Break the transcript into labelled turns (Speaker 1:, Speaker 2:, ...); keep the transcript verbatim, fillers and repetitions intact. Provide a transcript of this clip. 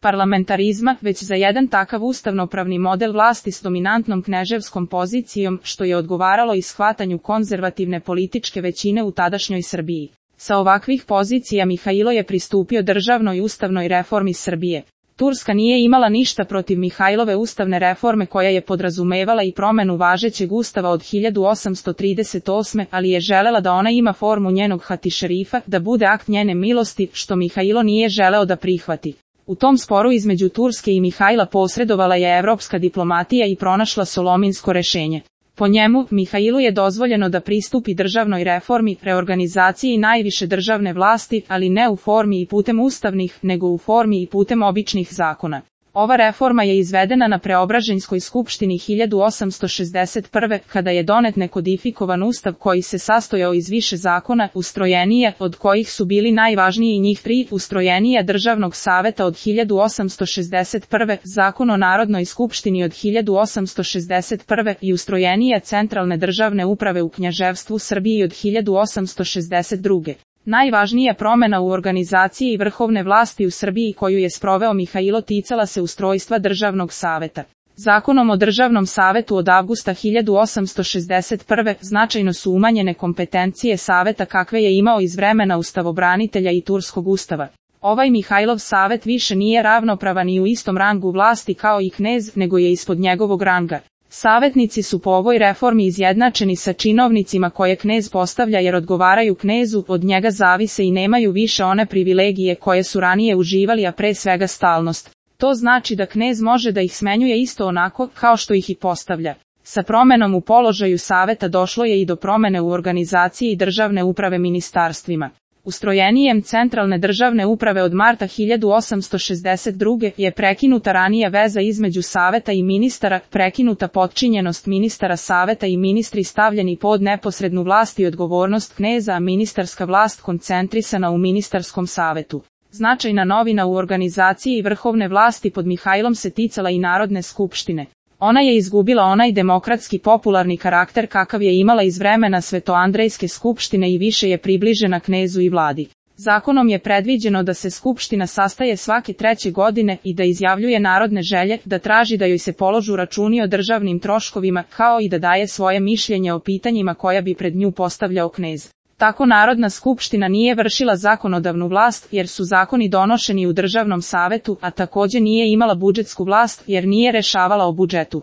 Speaker 1: parlamentarizma, već za jedan takav ustavnopravni model vlasti s dominantnom kneževskom pozicijom, što je odgovaralo i shvatanju konzervativne političke većine u tadašnjoj Srbiji. Sa ovakvih pozicija Mihailo je pristupio državnoj ustavnoj reformi Srbije. Turska nije imala ništa protiv Mihajlove ustavne reforme koja je podrazumevala i promenu važećeg ustava od hiljadu osamsto trideset osme, ali je želela da ona ima formu njenog hatišerifa, da bude akt njene milosti, što Mihailo nije želeo da prihvati. U tom sporu između Turske i Mihajla posredovala je evropska diplomatija i pronašla solominsko rešenje. Po njemu, Mihailu je dozvoljeno da pristupi državnoj reformi, reorganizaciji najviše državne vlasti, ali ne u formi i putem ustavnih, nego u formi i putem običnih zakona. Ova reforma je izvedena na Preobraženjskoj skupštini hiljadu osamsto šezdeset prve. kada je donet nekodifikovan ustav koji se sastojao iz više zakona, ustrojenije, od kojih su bili najvažniji njih tri, ustrojenija državnog saveta od hiljadu osamsto šezdeset prve, zakon o Narodnoj skupštini od hiljadu osamsto šezdeset prve i ustrojenija centralne državne uprave u Knjaževstvu Srbiji od hiljadu osamsto šezdeset druge. Najvažnija promena u organizaciji vrhovne vlasti u Srbiji koju je sproveo Mihailo ticala se ustrojstva državnog saveta. Zakonom o državnom savetu od avgusta hiljadu osamsto šezdeset prve. značajno su umanjene kompetencije saveta kakve je imao iz vremena ustavobranitelja i turskog ustava. Ovaj Mihajlov savet više nije ravnopravan i u istom rangu vlasti kao i knez, nego je ispod njegovog ranga. Savetnici su po ovoj reformi izjednačeni sa činovnicima koje knez postavlja jer odgovaraju knezu, od njega zavise i nemaju više one privilegije koje su ranije uživali, a pre svega stalnost. To znači da knez može da ih smenjuje isto onako kao što ih i postavlja. Sa promenom u položaju saveta došlo je i do promene u organizaciji državne uprave ministarstvima. Ustrojenijem centralne državne uprave od marta hiljadu osamsto šezdeset druge. je prekinuta ranija veza između saveta i ministara, prekinuta potčinjenost ministara saveta i ministri stavljeni pod neposrednu vlast i odgovornost kneza, a ministarska vlast koncentrisana u ministarskom savetu. Značajna novina u organizaciji vrhovne vlasti pod Mihajlom se ticala i Narodne skupštine. Ona je izgubila onaj demokratski popularni karakter kakav je imala iz vremena Svetoandrejske skupštine i više je približena knezu i vladi. Zakonom je predviđeno da se skupština sastaje svake treće godine i da izjavljuje narodne želje, da traži da joj se položu računi o državnim troškovima, kao i da daje svoje mišljenje o pitanjima koja bi pred nju postavljao knez. Tako Narodna skupština nije vršila zakonodavnu vlast jer su zakoni donošeni u državnom savetu, a takođe nije imala budžetsku vlast jer nije rešavala o budžetu.